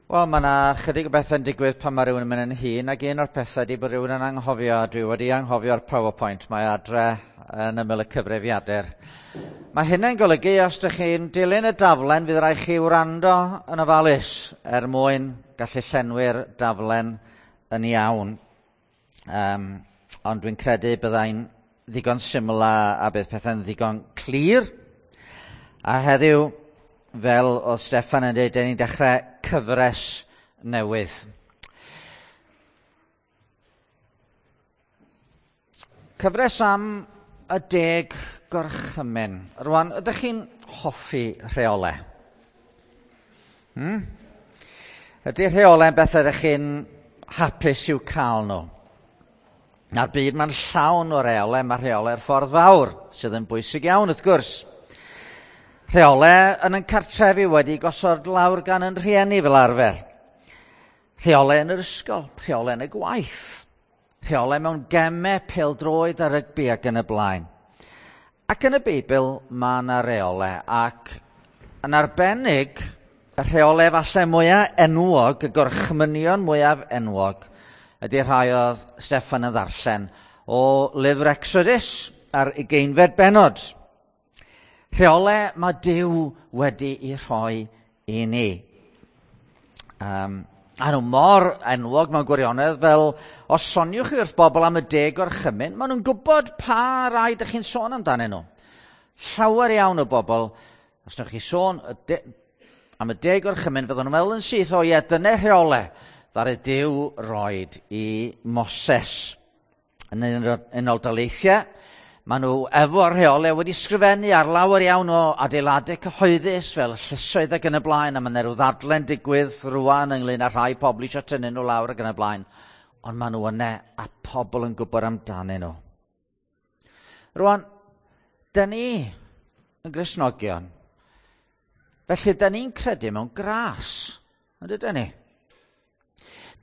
Wel, mae yna chydig o bethau'n digwydd pan mae rhywun yn mynd yn hŷn, ac un o'r pethau ydy bod rhywun yn anghofio, a dwi wedi anghofio'r PowerPoint, mae adre yn ymyl y cyfrifiadur. Mae hynny'n golygu os ydych chi'n dilyn y daflen, fydd rhaid chi wrando yn ofalus er mwyn gallu llenwi'r daflen yn iawn. Ond dwi'n credu byddai'n ddigon syml a bydd pethau'n ddigon clir. A heddiw, fel oedd Steffan yn dweud, dyn ni'n dechrau cyfres newydd. Cyfres am y 10 gorchymyn. Rwan, ydych chi'n hoffi rheolau? Ydy rheolau'n beth ydych chi'n hapus i'w cael nhw? Na'r byd mae'n llawn o reolau, mae rheolau'r ffordd fawr, sydd yn bwysig iawn wrth gwrs. Rheolau yn ein cartrefi wedi gosod lawr gan yn rhieni fel arfer. Rheolau yn yr ysgol, rheolau yn y gwaith, rheolau mewn gemau, pêl-droed a rygbi ac yn y blaen. Ac yn y Beibl mae yna reolau, ac yn arbennig y rheolau falle mwyaf enwog, y gorchmynion mwyaf enwog, ydy rhai oedd Steffan yn ddarllen o lyfr Exodus ar 20fed bennod. Rheolau mae Duw wedi'i rhoi i ni. A nhw mor enwog mewn gwirionedd fel os soniwch chi wrth bobl am y 10 gorchymyn, maen nhw'n gwybod pa rai ydych chi'n sôn amdanyn nhw. Llawer iawn o bobl, os wnewch chi sôn am y 10 gorchymyn, fydden nhw'n meddwl yn syth, o ie, dyna rheolau ddaru Duw roed i Moses. Yn Unol Daleithiau, maen nhw efo'r rheolau wedi sgrifennu ar lawer iawn o adeiladau cyhoeddus fel llysoedd ac yn y blaen, a mae yna rhyw ddadlen digwydd rwan ynglyn â rhai pobl eisiau tynnu nhw lawr ac yn y blaen. Ond maen nhw yna a pobl yn gwybod amdanyn nhw. Rwan, dyn ni yn Gristnogion, felly dyn ni'n credu mewn gras, yn dydyn ni?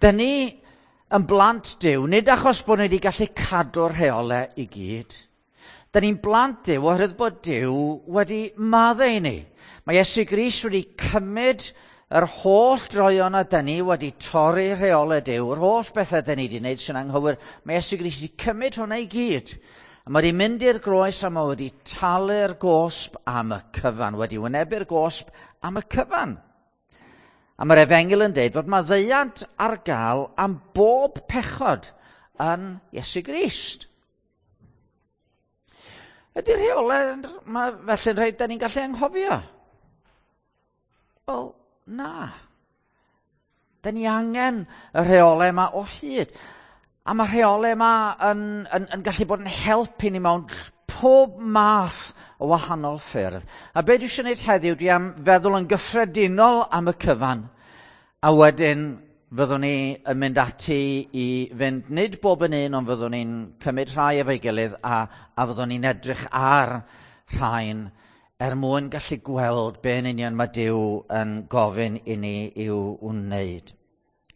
Dyn ni yn blant Duw, nid achos bod ni wedi gallu cadw'r rheolau i gyd. Dyn ni'n blant Duw oherwydd bod Duw wedi maddau i ni. Mae Iesu Grist wedi cymryd yr holl droion a dyn ni wedi torri rheolau Duw, yr holl bethau dyn ni wedi wneud sy'n anghywir. Mae Iesu Grist wedi cymryd hwnna i gyd. A mae wedi mynd i'r groes a mae wedi talu'r gosb am y cyfan, wedi wynebu'r gosb am y cyfan. A mae'r Efengyl yn deud fod maddeuant ar gael am bob pechod yn Iesu Grist. Ydy'r rheolau mae felly'n rhaid da ni'n gallu anghofio? Wel, na. Da ni angen y rheolau yma o hyd. A mae'r rheolau yma yn gallu bod yn help i ni mewn pob math o wahanol ffyrdd. A be dwi eisiau gwneud heddiw, dwi am feddwl yn gyffredinol am y cyfan. A wedyn fyddwn ni yn mynd ati i fynd, nid bob yn un, ond fyddwn ni'n cymryd rhai efo'i gilydd a fyddwn ni'n edrych ar rhain er mwyn gallu gweld be yn union mae Duw yn gofyn i ni i'w wneud.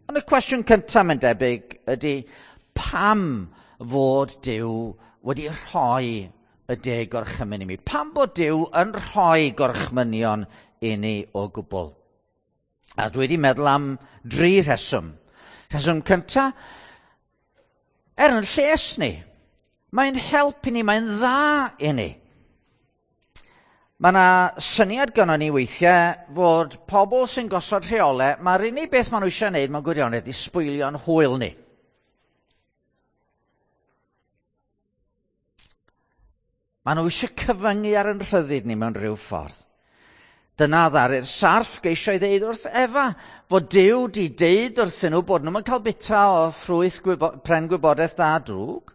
Ond y cwestiwn cyntaf mae'n debyg ydy pam fod Duw wedi rhoi y 10 gorchymyn i mi? Pam bod Duw yn rhoi gorchmynion i ni o gwbl? A dwi wedi meddwl am 3 rheswm. Rheswm cyntaf, er yn lles ni. Mae'n help i ni, mae'n dda i ni. Mae yna syniad gynnon ni weithiau fod pobl sy'n gosod rheolau, mae'r unig beth maen nhw eisiau gwneud mewn gwirionedd i sbwylio'n hwyl ni. Maen nhw eisiau cyfyngu ar yn rhyddid ni mewn rhyw ffordd. Dyna ddaru'r sarff geisio i ddeud wrth Efa fod Duw di deud wrthyn nhw bod nhw'n cael bita o ffrwyth pren gwybodaeth dda drwg,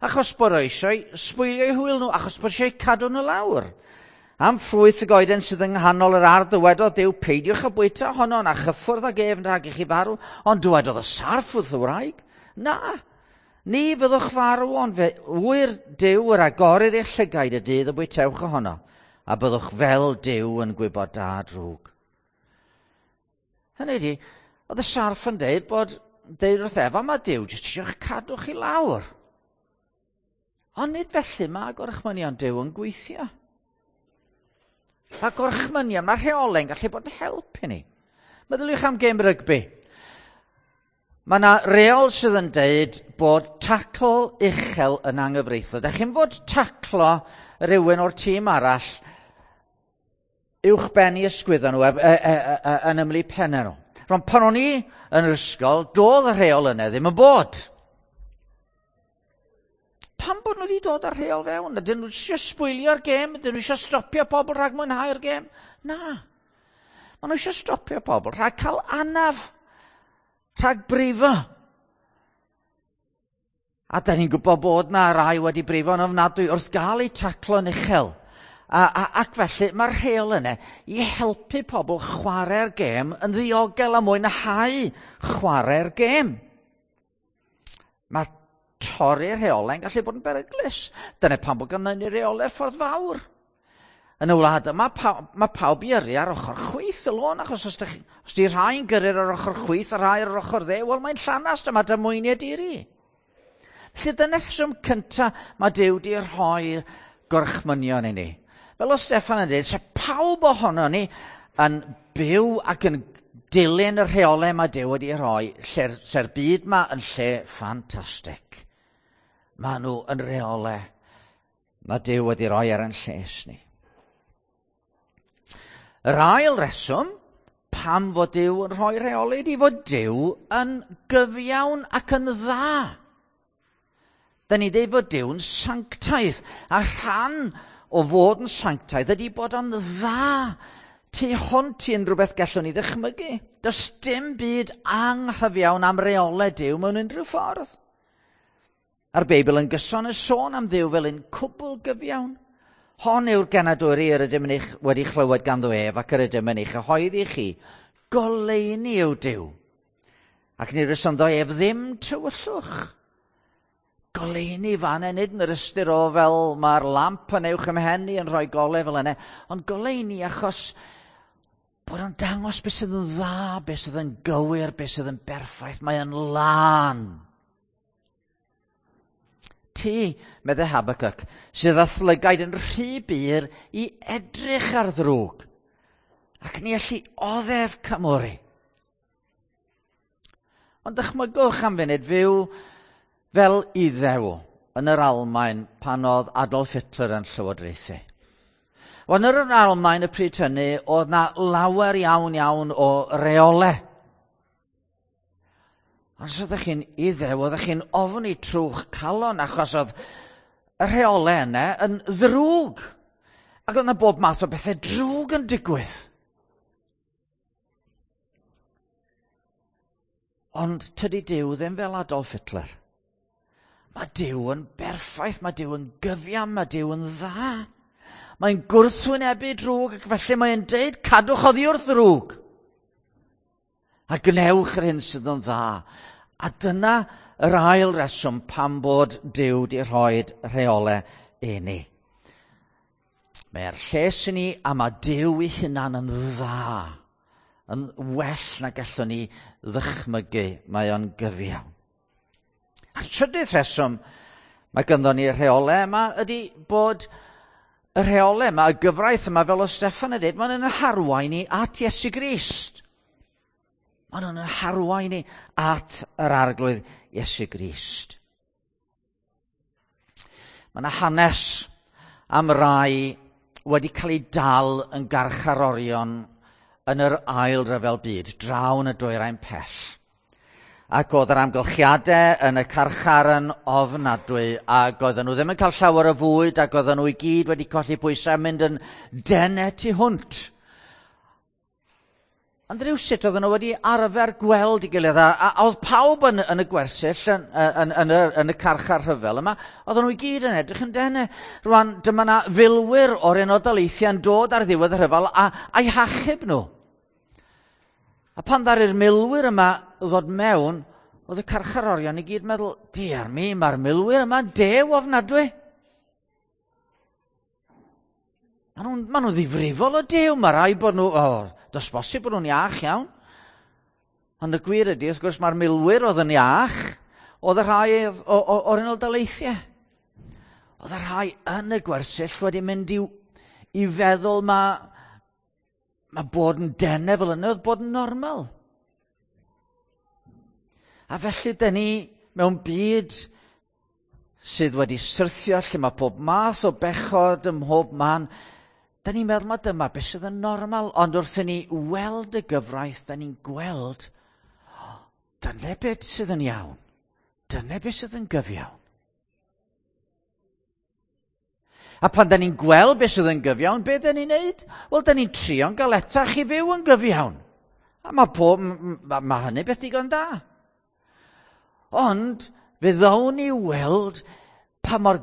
achos bod o eisiau sbwylio eu hwyl nhw, achos bod eisiau cadw nhw lawr. Am ffrwyth y goeden sydd yng nghanol yr ardd dywedodd Duw, peidiwch â bwyta ohono na chyffwrdd ag ef rhag i chi farw, ond dywedodd y sarff wrth y wraig, na, ni fyddwch farw, ond fe ŵyr Duw yr agorir eich llygaid y dydd y bwytewch ohono, a byddwch fel Duw yn gwybod da drwg. Hynny ydi, oedd y sarff yn deud bod, deud wrth Efa, mae Duw jyst eisiau cadw chi lawr. Ond nid felly mae gorchmynion Duw yn gweithio. Mae gorchmynion, mae rheolau'n gallu bod yn help i ni. Meddyliwch am gêm rygbi. Mae yna reol sydd yn deud bod tacl uchel yn anghyfreithlon. Dach chi'n fod taclo rhywun o'r tîm arall uwch ben i ysgwyddo nhw yn ymlu pennau nhw. Rwan, pan o'n i yn yr ysgol, doedd y rheol yna ddim yn bod. Pam bod nhw wedi dod â'r rheol fewn? Ydyn nhw eisiau sbwylio'r gêm? Ydyn nhw eisiau stopio pobl rhag mwynhau'r gêm? Na. Maen nhw eisiau stopio pobl rhag cael anaf, rhag brifo. A da ni'n gwybod bod na rai wedi brifo'n ofnadwy wrth gael eu taclo'n uchel. Ac felly mae'r rheol yna i helpu pobl chwarae'r gêm yn ddiogel a mwynhau chwarae'r gêm. Mae torri'r rheolau'n gallu bod yn beryglus. Dyna pam bod gynnon ni reolau'r ffordd fawr. Yn y wlad yma, mae pawb i yrru ar ochr chwith y lôn, achos os di rhai'n gyrru ar ochr chwith a rhai ar yr ochr dde, wel mae'n llanast a mae damweiniau diri. Felly dyna'r rheswm cyntaf mae Duw di rhoi gorchmynion i ni. Fel o Steffan yn dweud, se pawb ohono ni yn byw ac yn dilyn y rheolau mae Duw wedi rhoi, lle'r byd ma yn lle ffantastig. Mae nhw yn rheolau mae Duw wedi rhoi ar ein lles ni. Yr ail reswm pam fod Duw yn rhoi rheolau ydy fod Duw yn gyfiawn ac yn dda. Da ni'n dweud fod Duw'n sanctaidd, a rhan o fod yn sanctaidd ydy bod o'n dda tu hwnt i unrhyw beth gallwn ni ddychmygu. Does dim byd anghyfiawn am reolau Duw mewn unrhyw ffordd. A'r Beibl yn gyson yn sôn am Dduw fel un cwbl gyfiawn. Hon yw'r genadwri yr ydym yn eich wedi chlywed ganddo ef ac yr ydym yn ei chyhoeddi chi. Goleuni yw Duw. Ac ni rysonddo ef ddim tywyllwch. Goleuni fan hyn, nid yn yr ystyr o fel mae'r lamp yn uwch ym mhen i yn rhoi golau fel yna, ond goleuni achos bod o'n dangos beth sydd yn dda, beth sydd yn gywir, beth sydd yn berffaith. Mae o'n lân. Ti, meddai Habakkuk, sydd â thlygaid yn rhy bur i edrych ar ddrwg, ac ni allu oddef cymwri. Ond dychmygwch am funud fyw fel Iddew yn yr Almaen pan oedd Adolf Hitler yn llywodraethu. Wel, yn yr Almaen y pryd hynny, oedd na lawer iawn iawn o reolau. Ond os oeddech chi'n Iddew, oeddech chi'n ofni trwch calon, achos oedd y rheolau yna yn ddrwg. Ac oedd yna bob math o bethau drwg yn digwydd. Ond tydi Duw ddim fel Adolf Hitler. Mae Duw yn berffaith, mae Duw yn gyfiawn, mae Duw yn dda. Mae'n gwrthwynebu drwg ac felly mae'n deud cadwch oddi wrth ddrwg. A gwnewch yr hyn sydd yn dda. A dyna yr ail reswm pam bod Duw di rhoi rheolau i ni. Mae'r lles i ni a mae Duw ei hunan yn dda. Yn well na gallwn ni ddychmygu. Mae o'n gyfiawn. A'r trydydd rheswm mae ganddo ni rheolau yma ydy bod y rheolau yma, y gyfraith yma, fel o Steffan yn dweud, mae'n yn harwain ni at Iesu Grist. Maen nhw'n harwain ni at yr Arglwydd Iesu Grist. Mae yna hanes am rai wedi cael eu dal yn garcharorion yn yr ail ryfel byd, draw yn y dwyrain pell. Ac oedd yr amgylchiadau yn y carchar yn ofnadwy, ac oedden nhw ddim yn cael llawer o fwyd, ac oedden nhw i gyd wedi colli pwysau a mynd yn denau tu hwnt. Ond rhywsut oedden nhw wedi arfer gweld ei gilydd, a oedd pawb yn y gwersyll, yn y carchar rhyfel yma, oedden nhw i gyd yn edrych yn denau. Rwan, dyma na filwyr o'r Unol Daleithiau yn dod ar ddiwedd y rhyfel a'i hachub nhw. A pan ddaru'r milwyr yma ddod mewn, oedd y carcharorion i gyd meddwl, diar mi, mae'r milwyr yma'n dew ofnadwy. Maen nhw'n ddifrifol o dew, mae rai bod nhw, does bosib bod nhw'n iach iawn. Ond y gwir ydy, wrth gwrs, mae'r milwyr oedd yn iach, oedd y rhai o'r Unol Daleithiau. Oedd y rhai yn y gwersyll wedi mynd i feddwl Mae bod yn denau fel yna oedd bod yn normal. A felly, dyn ni mewn byd sydd wedi syrthio lle mae pob math o bechod ym mhob man, da ni'n meddwl mae dyma beth sydd yn normal, ond wrth i ni weld y gyfraith, da ni'n gweld, dyna beth sydd yn iawn, dyna beth sydd yn gyfiawn. A pan da ni'n gweld beth sydd yn gyfiawn, beth da ni'n neud? Wel, da ni'n trio'n galetach i fyw yn gyfiawn. A mae, pob, ma hynny beth digon da. Ond fe ddown ni weld pa mor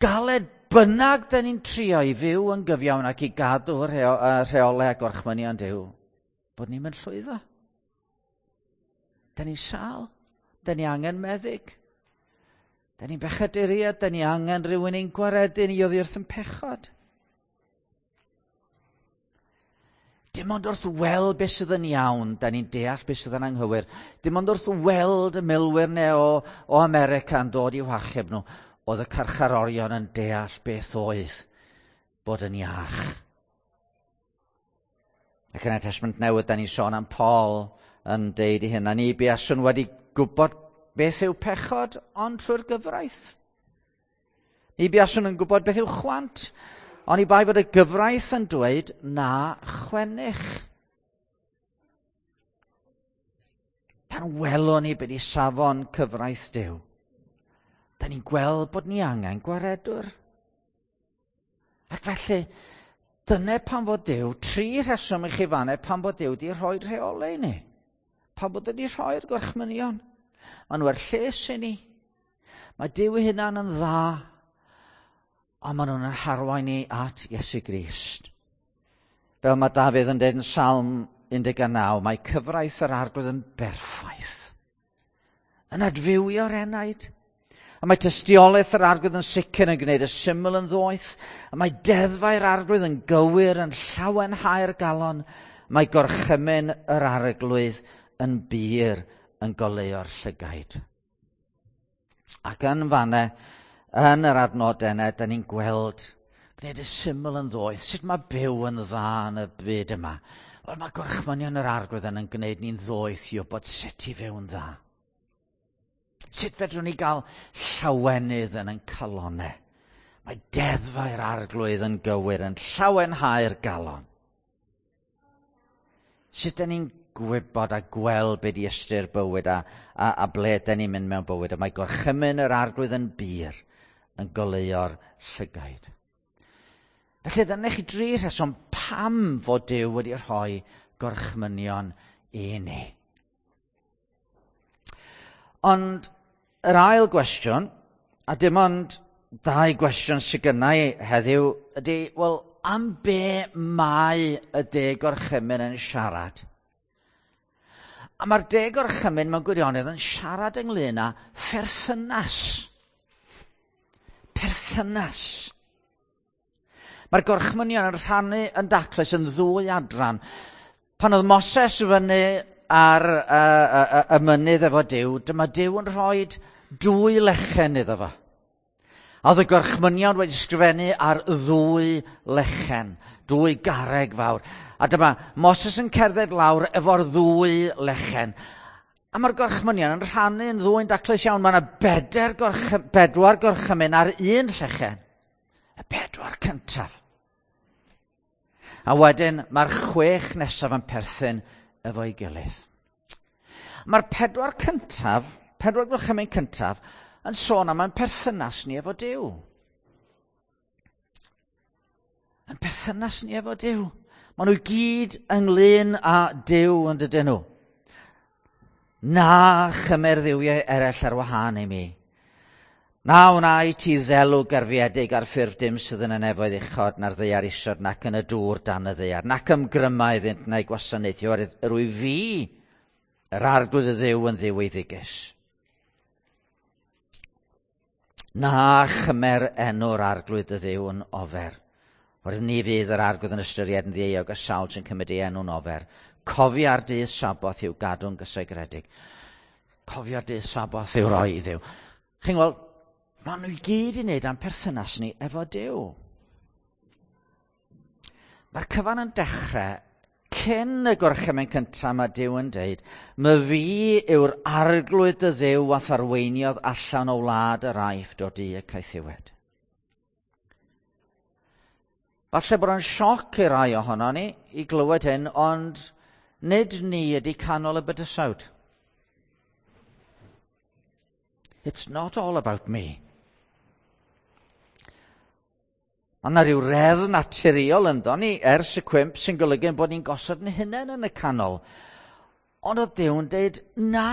galed bynnag da ni'n trio i fyw yn gyfiawn ac i gadw rheolau a gorchmynion Duw, bod ni'n mynd llwyddo. Da ni'n sâl. Da ni angen meddyg. Da ni'n bechaduriaid, da ni angen rhywun i'n gwaredu ni oddi wrth yn pechod. Dim ond wrth weld beth sydd yn iawn, da ni'n deall beth sydd yn anghywir. Dim ond wrth weld y milwyr neu o America yn dod i'w hachub nhw, oedd y carcharorion yn deall beth oedd bod yn iach. Ac yn y Testament Newydd, da ni'n sôn am Paul yn deud i hyn, a ni buaswn wedi gwybod beth yw pechod, ond trwy'r gyfraith. Ni buaswn yn gwybod beth yw chwant, ond i bai fod y gyfraith yn dweud na chwennych. Pan welwn ni beth i safon cyfraith Duw, da ni'n gweld bod ni angen gwaredwr. Ac felly, dyna pan fod Duw, tri rheswm i chi fanne pan fod Duw wedi rhoi rheolau i ni. Pan bod wedi rhoi'r gorchmynion. Maen nhw er lles i ni. Mae Duw ei hunan yn dda, a maen nhw'n harwain ni at Iesu Grist. Fel mae Dafydd yn dweud yn Salm 19, mae cyfraith yr Arglwydd yn berffaith. Yn adfywio'r enaid. A mae tystiolaeth yr Arglwydd yn sicr yn gwneud y syml yn ddoeth. A mae deddfau'r Arglwydd yn gywir, yn llawenhau'r galon. Mae gorchymyn yr Arglwydd yn bur, yn goleuo'r llygaid. Ac yn fanne, yn yr adnodau yna, da ni'n gweld gwneud y syml yn ddoeth. Sut mae byw yn dda yn y byd yma? Wel, mae gorchmynion yr Arglwydd yn gwneud ni'n ddoeth i wybod sut i fyw'n dda. Sut fedrwn ni gael llawenydd yn ein calonau? Mae deddfau'r Arglwydd yn gywir, yn llawenhau'r galon. Sut da ni'n gwybod a gweld be di ystyr bywyd a ble da ni'n mynd mewn bywyd? A mae gorchymyn yr Arglwydd yn bur, yn goleuo'r llygaid. Felly, dyna chi dri rheswm pam fod Duw wedi rhoi gorchmynion i ni. Ond yr ail gwestiwn, a dim ond dau gwestiwn sydd gynna i heddiw, ydy, wel, am be mae y deg gorchymyn yn siarad? A mae'r deg gorchymyn mewn gwirionedd yn siarad ynglyn â pherthynas. Perthynas. Mae'r gorchmynion yn rhannu yn daclus yn ddwy adran. Pan oedd Moses fyny ar y mynydd efo Duw, dyma Duw yn rhoi dwy lechen iddo fo. A oedd y gorchmynion wedi sgrifennu ar ddwy lechen, dwy garreg fawr. A dyma Moses yn cerdded lawr efo'r ddwy lechen. A mae'r gorchmynion yn rhannu yn ddwy'n daclus iawn. Mae yna bedwar gorchymyn ar un llechen. Y bedwar cyntaf. A wedyn mae'r 6 nesaf yn perthyn efo'i gilydd. Mae'r pedwar cyntaf, pedwar gorchymyn cyntaf, yn sôn am ein perthynas ni efo Duw. Yn perthynas ni efo Duw. Maen nhw gyd ynglyn â Duw yn dydyn nhw. Na chymer dduwiau eraill ar wahân i mi. Na wna i ti ddelw gerfiedig ar ffurf dim sydd yn y nefoedd uchod na'r ddaear isod nac yn y dŵr dan y ddaear, nac ymgryma iddynt na'i gwasanaethu, oherwydd yr wyf fi, yr Arglwydd y Dduw yn Dduw eiddigus. Na chymer enw'r Arglwydd y Dduw yn ofer. Oherwydd ni fydd yr Arglwydd yn ystyried yn ddieuog y sawl sy'n cymryd ei enw'n ofer. Cofia'r dydd Saboth i'w gadw'n gysegredig. Cofia'r dydd Saboth i'w roi i Dduw. Chi'n gweld, maen nhw i gyd i wneud am perthynas ni efo Duw. Mae'r cyfan yn dechrau cyn y gorchymyn cyntaf mae Duw yn deud, "My fi yw'r arglwydd dy Dduw a'th arweiniodd allan o wlad yr Aifft o du y caethiwed." Falle bod o'n sioc i rai ohono ni i glywed hyn, ond nid ni ydy canol y bydysawd. It's not all about me. Mae yna rhyw reddf naturiol ynddo ni ers y cwymp sy'n golygu bod ni'n gosod yn hunain yn y canol. Ond oedd Duw'n deud, na.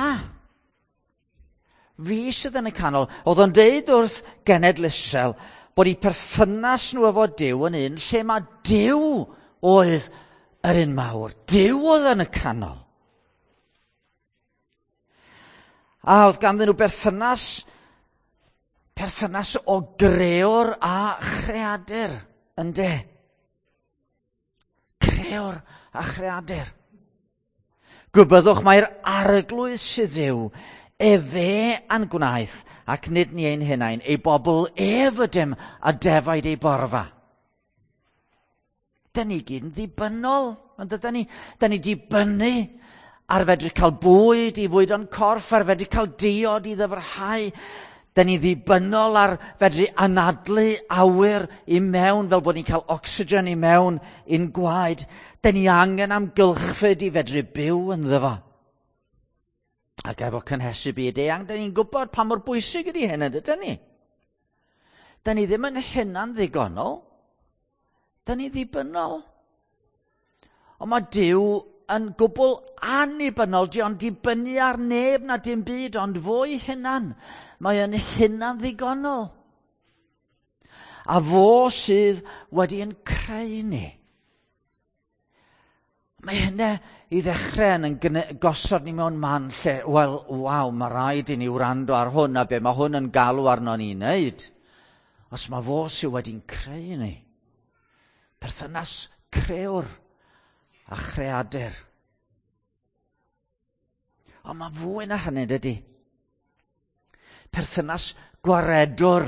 Fi sydd yn y canol. Oedd o'n deud wrth genedl Israel bod eu perthynas nhw efo Duw yn un lle mae Duw oedd yr un mawr. Duw oedd yn y canol. A oedd ganddyn nhw berthynas, perthynas o greor a chreadur, ynde? Creor a chreadur. Gwybyddwch mae'r arglwydd sydd yw, efe a'n gwnaeth, ac nid ni ein hunain, ei bobl ef ydym a defaid ei borfa. Da ni gyd yn ddibynnol, ond dydyn ni? Da ni dibynnu ar fedru cael bwyd i fwydo'n corff, ar fedru cael diod i ddyfrhau. Da ni ddibynnol ar fedru anadlu awyr i mewn fel bod ni'n cael ocsigen i mewn i'n gwaed. Da ni angen amgylchfyd i fedru byw ynddo fo. Ac efo cynhesu byd eang, da ni'n gwybod pa mor bwysig ydy hyn, ydyn ni? Da ni ddim yn hunan ddigonol. Da ni ddibynnol. Ond mae Duw yn gwbl annibynnol. Di o'n dibynnu ar neb na dim byd, ond fo'i hunan. Mae yn hunan ddigonol. A fo sydd wedi yn creu ni. Mae hynna i ddechrau yn gosod ni mewn man lle, wel, waw, mae rhaid i ni wrando ar hwn a be mae hwn yn galw arno ni wneud. Os mae fo sydd wedi'n creu ni. Perthynas crewr a chreadur. Ond mae fwy na hynny, dydy. Perthynas gwaredwr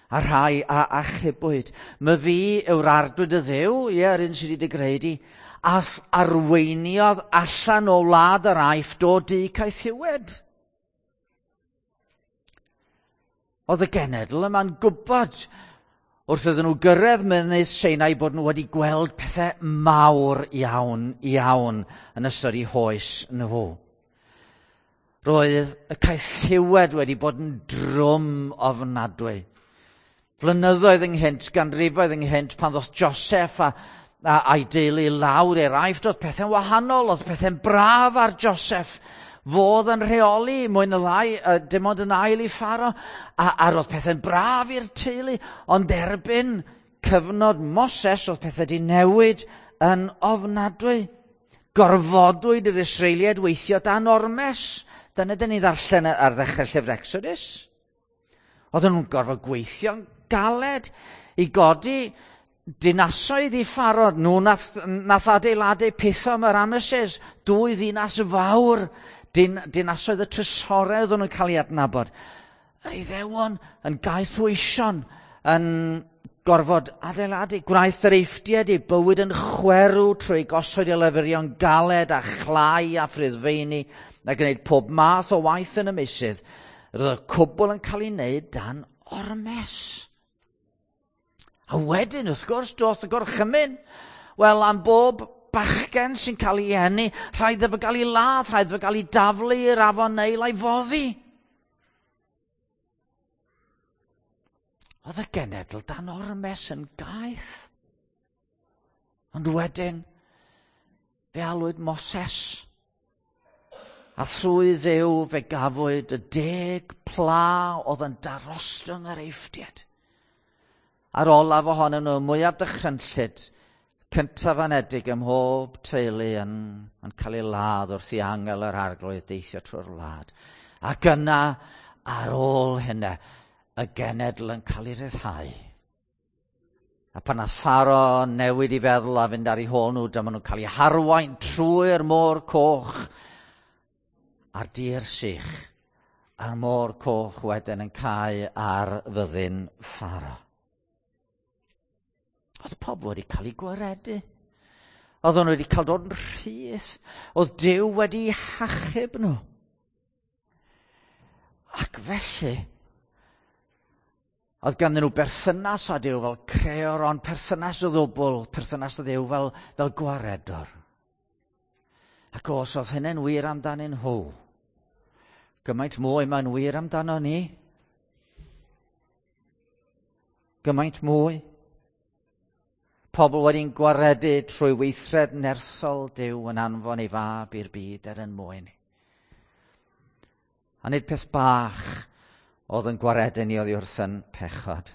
a rhai a achubwyd. My fi yw'r arglwydd y Dduw, ie, yr un sydd wedi dy greu di, a'th arweiniodd allan o wlad yr Aifft o du caethiwed. Oedd y genedl yma'n gwybod wrth iddyn nhw gyrraedd mynydd Sinai bod nhw wedi gweld pethau mawr iawn, iawn yn ystod eu hoes nhw. Roedd y caethiwed wedi bod yn drwm ofnadwy. Flynyddoedd ynghynt, ganrifoedd ynghynt, pan ddoth Joseph a, a, a'i deulu lawr i'r Aifft, oedd pethau'n wahanol, oedd pethau'n braf ar Joseph. Fodd yn rheoli, mwy na lai, dim ond yn ail i Pharo, a, a roedd pethau'n braf i'r teulu, ond erbyn cyfnod Moses, oedd pethau wedi newid yn ofnadwy. Gorfodwyd yr Israeliaid weithio dan ormes. Dyna dyn ni ddarllen ar ddechrau llyfr Exodus. Oedden nhw'n gorfod gweithio'n galed i godi dinasoedd i Pharo. Nhw nath, nath adeiladu Pithom a Ramesses, dwy ddinas fawr, din, dinasoedd y trysorau oedden nhw'n cael ei adnabod. Yr Iddewon yn gaethweision, yn gorfod adeiladu. Gwnaeth yr Eifftiaid eu bywyd yn chwerw trwy gosod eu leferion galed a chlai a phriddfeini a gwneud pob math o waith yn y meysydd. Roedd y cwbl yn cael ei wneud dan ormes. A wedyn, wrth gwrs, doth y gorchymyn. Wel, am bob bachgen sy'n cael ei eni, rhaid iddo gael ei ladd, rhaid iddo gael ei daflu i'r afon Neil a'i foddi. Oedd y genedl dan ormes yn gaeth. Ond wedyn, fe alwyd Moses. A thrwy Dduw fe gafwyd y deg pla oedd yn darostwng yr Eifftiaid. A'r olaf ohonyn nhw, mwyaf dychrynllyd, cyntaf anedig ym mhob teulu yn, yn cael ei ladd wrth i angel yr arglwydd deithio trwy'r wlad. Ac yna, ar ôl hynna, y genedl yn cael ei ryddhau. A pan nath Pharo newid i feddwl a fynd ar ei hôl nhw, dyma nhw'n cael eu harwain trwy'r môr coch a'r dir sych, a'r môr coch wedyn yn cau ar fyddin Pharo. Oedd pobl wedi cael eu gwaredu. Oedden nhw wedi cael dod yn rhydd. Oedd Duw wedi hachub nhw. Ac felly, oedd ganddyn nhw berthynas â Duw fel creor, ond perthynas o ddwbl, perthynas â Duw fel, fel gwaredwr. Ac os oedd hynny'n wir amdanyn nhw, gymaint mwy mae'n wir amdano ni. Gymaint mwy. Pobl wedi'n gwaredu trwy weithred nerthol Duw yn anfon ei fab i'r byd er yn mwyn. A nid peth bach oedd yn gwaredu ni oddi wrth yn pechod.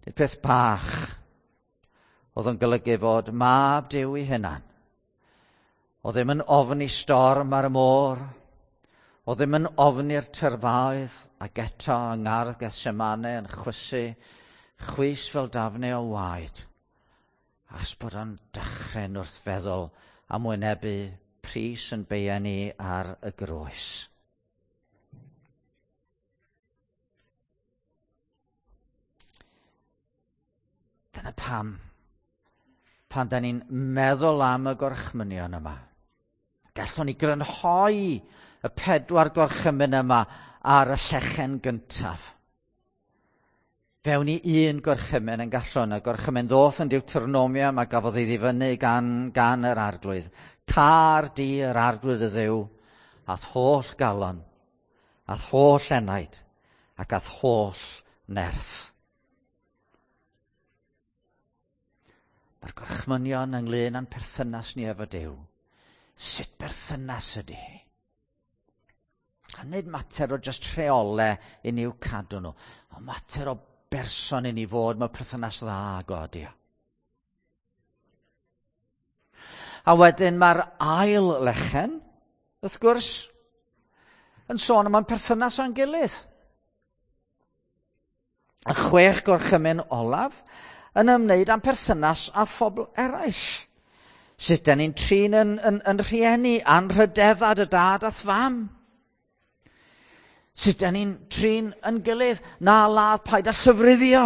Nid peth bach oedd yn golygu fod mab Duw ei hunan. Oedd ddim yn ofni storm ar y môr. Oedd ddim yn ofni'r tyrfaoedd ac eto yng ngardd Gethsemane yn chwysu chwys fel dafnau o waed. As bod o'n dychryn wrth feddwl am wynebu pris yn beia ni ar y groes. Dyna pam, pan da ni'n meddwl am y gorchmynion yma, gallwn ni grynhoi y pedwar gorchymyn yma ar y llechen gyntaf. Fewn i un gorchymyn yn gallwn, y gorchymyn ddoth yn Deuteronomium a gafodd ei ddifynnu gan, gan yr arglwydd. Car di yr arglwydd y ddew, a'th holl galon, a'th holl enaid, ac a'th holl nerth. Mae'r gorchmynion ynglyn â'n perthynas ni efo Duw. Sut berthynas ydy hi? A nid mater o just rheole i ni'w cadw nhw, ond mater o berson i ni fod mewn perthynas dda ag o ydy o. A wedyn mae'r ail lechen, wrth gwrs, yn sôn am ein perthynas â'n gilydd. Y chwech gorchymyn olaf yn ymwneud â'n perthynas â phobl eraill. Sut da ni'n trin yn, yn, yn rhieni, anrhydeddad y dad a'th fam. Sut da ni'n trin yn gilydd, na ladd, paid â llyfruddio.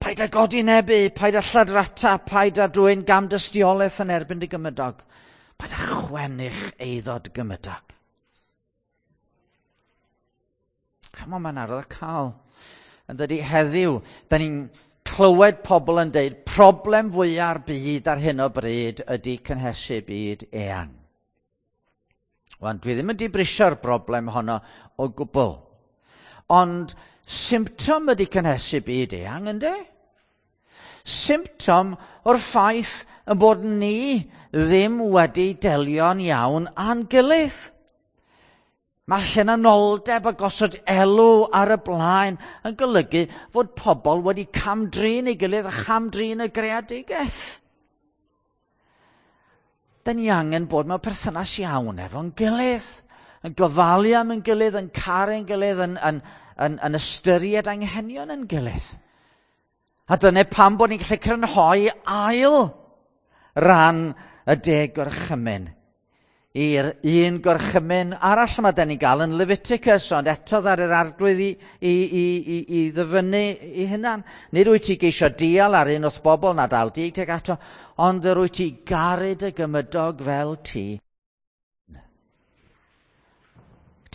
Paid â godi nebu, paid â lladrata, paid â dwyn gamdystiolaeth yn erbyn dy gymydog. Paid â chwennych eiddo dy gymydog. Chymod, mae'n arwydd cael. Yn dydy heddiw, da ni'n clywed pobl yn deud problem fwya'r byd ar hyn o bryd ydy cynhesu byd eang. Wan, dwi ddim yn dibrisio'r broblem honno o gwbl. Ond symptom ydy cynhesu byd eang, ynddo? Symptom o'r ffaith y bod ni ddim wedi delio'n iawn â'n gilydd. Mae hunanoldeb a gosod elw ar y blaen yn golygu fod pobl wedi camdrin ei gilydd a chamdrin y greadigaeth. Da ni angen bod mewn perthynas iawn efo'n gilydd, yn gofalu am yn gilydd, yn caru'n gilydd, yn, yn, yn, yn ystyried anghenion yn gilydd. A dyna pam bod ni'n gallu crynhoi ail ran y deg gorchymyn i'r un gorchymyn arall yma da ni'n gael yn Leviticus, ond eto ar yr arglwydd i, i, i, i, i ddyfynnu i hunan. Nid wyt ti geisio dial ar un wrth bobl na dal dig teg ato, ond yr wyt ti garu dy gymydog fel ti.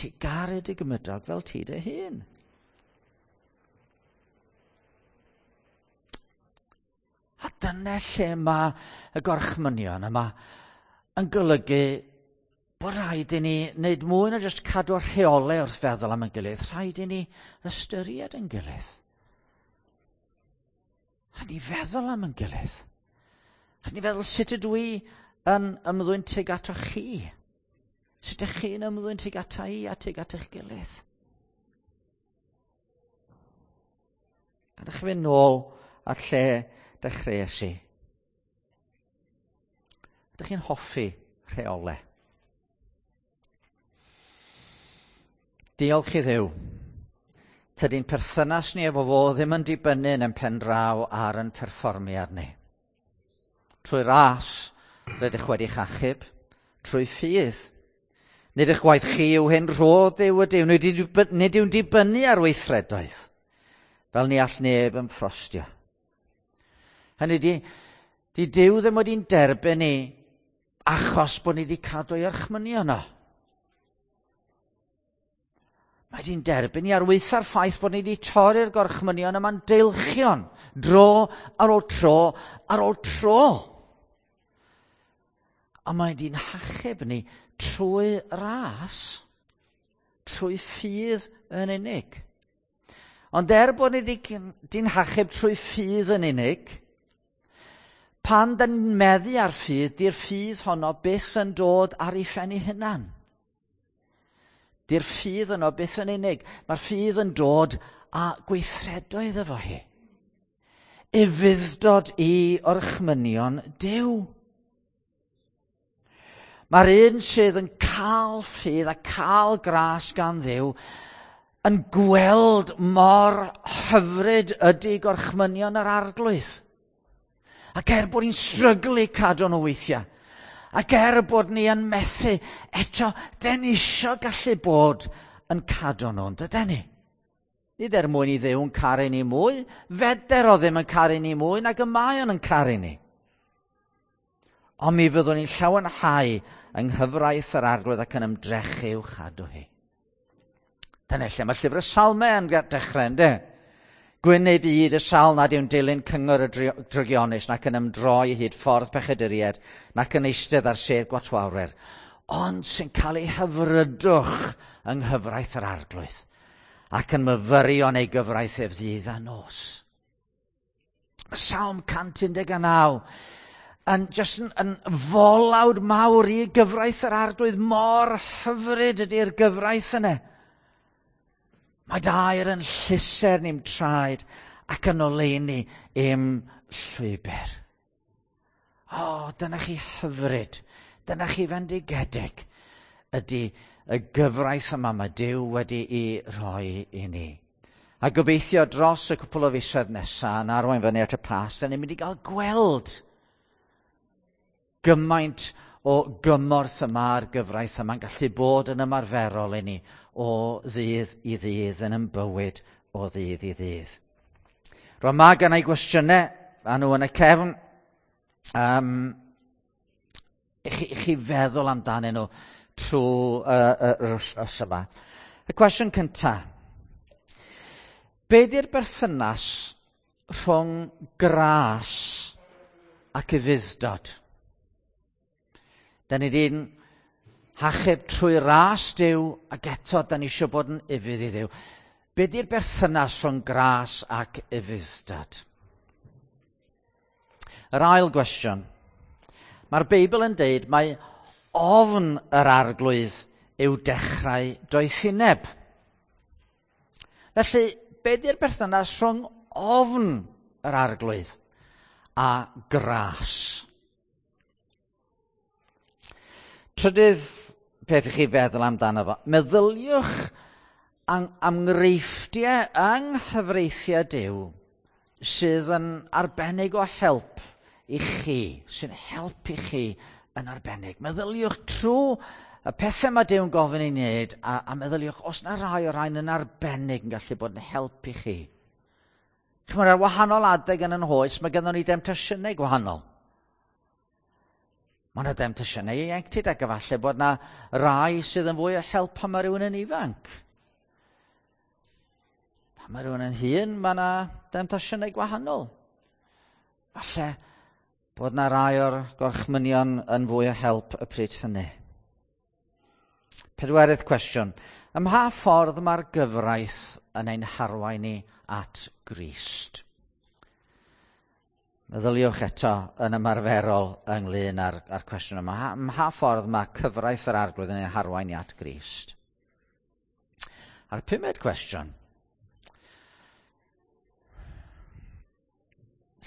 Ti garu dy gymydog fel ti dy hun. A dyna lle mae y gorchmynion yma yn golygu bod rhaid i ni wneud mwy na jyst cadw'r rheolau wrth feddwl am yn gilydd. Rhaid i ni ystyried yn gilydd. Rhaid ni feddwl am yn gilydd. Rhaid ni feddwl sut ydw i yn ymddwyn tuag ato chi. Sut ydych chi'n ymddwyn tuag ata i a tuag at eich gilydd. A ydych chi'n mynd nôl at lle dechreuais i. Ydych chi'n hoffi rheolau? Diolch i Dduw. Tydi'n perthynas ni efo fo ddim yn dibynnu yn pen draw ar yn perfformiad ni. Trwy ras, rydych wedi'ch achub, trwy ffydd. Nid eich gwaith chi yw hyn rhodd yw ydyw, nid yw'n dibynnu ar weithredoedd, fel ni all neb yn ffrostio. Hynny di, Di Duw ddim wedi'n derbyn ni achos bod ni wedi cadw ei orchmynion o. Mae di'n derbyn ni ar weitha'r ffaith bod ni wedi torri'r gorchmynion yma'n deilchion, dro ar ôl tro ar ôl tro. A mae di'n hachub ni trwy ras, trwy ffydd yn unig. Ond er bod ni di'n hachub trwy ffydd yn unig, pan dyn ni'n meddu ar ffydd, di'r ffydd honno byth yn dod ar ei phen ei hunan. Di'r ffydd yno byth yn unig. Mae'r ffydd yn dod â gweithredoedd efo hi. Ufudd-dod i orchmynion Duw. Mae'r un sydd yn cael ffydd a cael gras gan Dduw yn gweld mor hyfryd ydy gorchmynion yr Arglwydd. Ac er bod ni'n stryglu cadw nhw weithiau, ac er bod ni yn methu, eto, den ni isio gallu bod yn cadw nhw, dyden ni? Nid er mwyn i Dduw yn caru ni mwy, feder o ddim yn caru ni mwy nag y mae o'n yn caru ni. Ond mi fyddwn ni'n llawenhau yng nghyfraith yr Arglwydd ac yn ymdrechu i'w chadw hi. Dyna lle mae llyfr y Salmau yn dechrau, ynddo? Gwyn ei byd y sawl nad yw'n dilyn cyngor y drygionus, nac yn ymdroi hyd ffordd pechaduriaid, nac yn eistedd ar sedd gwatwawrwyr, ond sy'n cael ei hyfrydwch yng nghyfraith yr Arglwydd, ac yn myfyrio yn ei gyfraith ef ddydd a nos. Mae Salm 119 yn just yn folawd mawr i gyfraith yr Arglwydd. Mor hyfryd ydy'r gyfraith yna. Mae dair yn llusern i'm traed ac yn oleuni i'm llwybr. O, dyna chi hyfryd, dyna chi fendigedig ydy y gyfraith yma mae Duw wedi'i rhoi i ni. A gobeithio dros y cwpl o fisoedd nesaf yn arwain fyny at y Pasg, da ni'n mynd i gael gweld gymaint o gymorth y mae'r gyfraith yma'n gallu bod yn ymarferol i ni o ddydd i ddydd yn ein bywyd o ddydd i ddydd. Rwan mae gen i gwestiynau, a nhw yn y cefn, i chi feddwl amdanyn nhw trwy yr wythnos yma. Y cwestiwn cyntaf. Be di'r berthynas rhwng gras ac ufudd-dod? Da ni di'n hachub trwy ras Duw ac eto da ni eisiau bod yn ufudd i Dduw. Be di'r berthynas rhwng gras ac ufudd-dod? Yr ail gwestiwn. Mae'r Beibl yn deud mae ofn yr Arglwydd yw dechrau doethineb. Felly, be di'r berthynas rhwng ofn yr Arglwydd a gras? Trydydd peth i chi feddwl amdano fo. Meddyliwch am enghreifftiau yng nghyfreithiau Duw sydd yn arbennig o help i chi, sy'n help i chi yn arbennig. Meddyliwch trwy y pethau mae Duw'n gofyn i wneud a meddyliwch os na rai o'r rhain yn arbennig yn gallu bod yn help i chi. Chymod, ar wahanol adeg yn yn hoes, mae gynnon ni demtasiynau gwahanol. Mae yna demtasiynau ieuenctid ac efallai bod yna rai sydd yn fwy o help pan mae rhywun yn ifanc. Pan mae rhywun yn hŷn, mae yna demtasiynau gwahanol. Falle bod yna rai o'r gorchmynion yn fwy o help y pryd hynny. Pedwerydd cwestiwn. Ym mha ffordd mae'r gyfraith yn ein harwain ni at Grist? Meddyliwch eto yn ymarferol ynglyn â'r cwestiwn yma. Ym mha ffordd mae cyfraith yr Arglwydd yn ei harwain i at Grist? A'r pumed cwestiwn.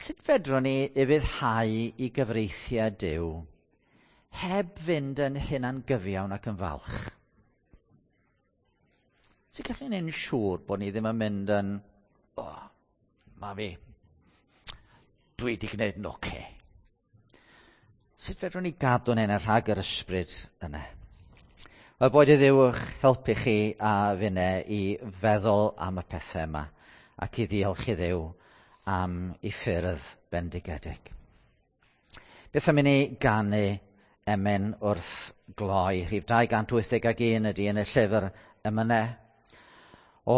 Sut fedrwn ni ufuddhau i gyfreithiau Duw heb fynd yn hunangyfiawn ac yn falch? Sut gallwn ni'n siŵr bod ni ddim yn mynd yn, o, oh, ma fi, dwi wedi gwneud yn oce. Sut fedrwn ni gadw'n hyn rhag yr ysbryd yna? Wel, boed i Dduw eich helpu chi a finne i feddwl am y pethau yma ac i ddiolch i Dduw am ei ffyrdd bendigedig. Beth am i ni ganu emyn wrth gloi? Rhif 281 ydy yn y llyfr emynau. O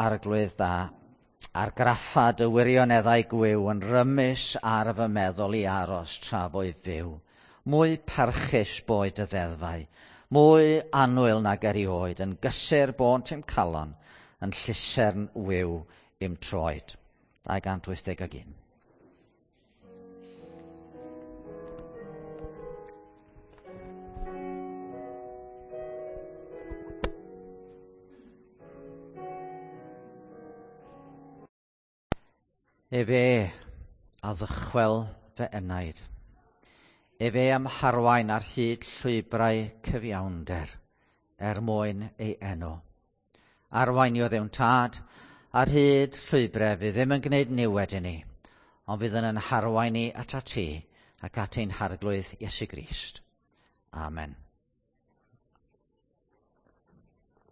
Arglwydd da, argraffa dy wirioneddau gwiw yn rymus ar fy meddwl i aros tra fwy fyw. Mwy parchus boed y ddeddfau, mwy annwyl nag erioed, yn gysur bont i'm calon, yn llusern wiw i'm troed. 281. Efe a ddychwel fy enaid. Efe am harwain ar hyd llwybrau cyfiawnder er mwyn ei enw. Arwain i o ddewn tad ar hyd llwybrau fydd ddim yn gwneud niwed i ni, ond fydd yn harwain ni at ti ac at ein harglwydd Iesu Grist. Amen.